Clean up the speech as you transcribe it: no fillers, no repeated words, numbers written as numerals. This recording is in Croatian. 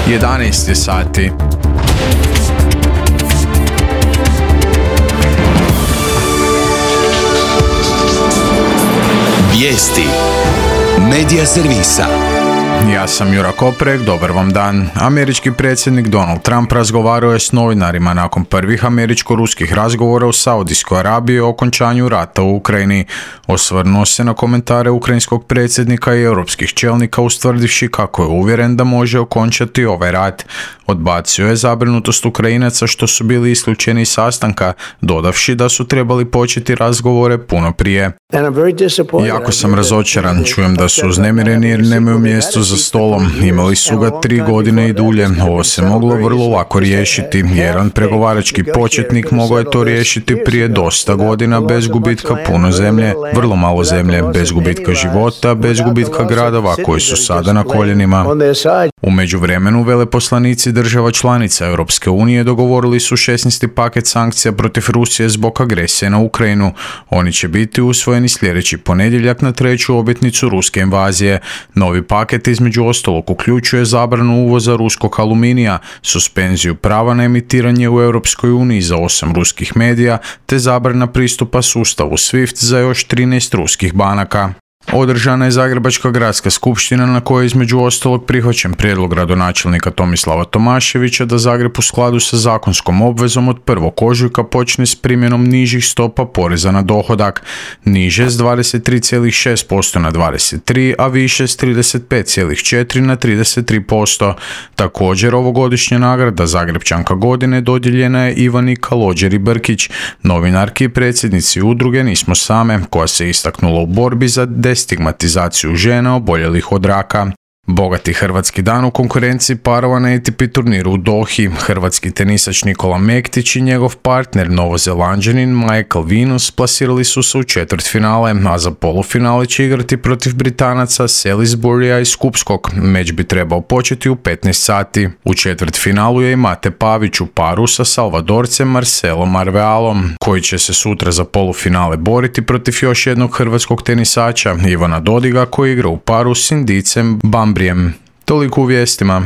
11 sati. Vijesti Medija servisa. Ja sam Jura Koprek, dobar vam dan. Američki predsjednik Donald Trump razgovarao je s novinarima nakon prvih američko-ruskih razgovora u Saudijskoj Arabiji o okončanju rata u Ukrajini. Osvrnuo se na komentare ukrajinskog predsjednika i europskih čelnika ustvrdivši kako je uvjeren da može okončati ovaj rat. Odbacio je zabrinutost Ukrajinaca što su bili isključeni iz sastanka, dodavši da su trebali početi razgovore puno prije. Jako sam razočaran, čujem da su uznemireni jer nemaju mjesto za stolom. Imali su ga 3 godine i dulje. Ovo se moglo vrlo lako riješiti. Jedan pregovarački početnik mogao je to riješiti prije dosta godina bez gubitka puno zemlje, vrlo malo zemlje, bez gubitka života, bez gubitka gradova koji su sada na koljenima. U međuvremenu veleposlanici država članica Europske unije dogovorili su 16. paket sankcija protiv Rusije zbog agresije na Ukrajinu. Oni će biti usvojeni sljedeći ponedjeljak na 3. obljetnicu ruske invazije. Novi paket između ostalog uključuje zabranu uvoza ruskog aluminija, suspenziju prava na emitiranje u Europskoj uniji za 8 ruskih medija, te zabrana pristupa sustavu SWIFT za još 13 ruskih banaka. Održana je Zagrebačka gradska skupština na kojoj je između ostalog prihvaćen prijedlog gradonačelnika Tomislava Tomaševića da Zagreb u skladu sa zakonskom obvezom od 1. ožujka počne s primjenom nižih stopa poreza na dohodak, niže s 23,6% na 23%, a više s 35,4% na 33%. Također ovogodišnja nagrada Zagrebčanka godine dodijeljena je Ivani Kalođeri-Brkić, novinarki i predsjednici udruge Nismo same, koja se istaknula u borbi za destigmatizaciju žena oboljelih od raka. Bogati hrvatski dan u konkurenciji parova na ATP turniru u Dohi. Hrvatski tenisač Nikola Mektić i njegov partner Novozelanđanin Michael Venus plasirali su se u četvrtfinale, a za polufinale će igrati protiv Britanaca Salisburya i Skupskog. Meč bi trebao početi u 15 sati. U četvrtfinalu je i Mate Pavić u paru sa Salvadorcem Marcelom Arvealom, koji će se sutra za polufinale boriti protiv još jednog hrvatskog tenisača, Ivana Dodiga, koji igra u paru s Indijcem Bambrijem. Toliko u vijestima.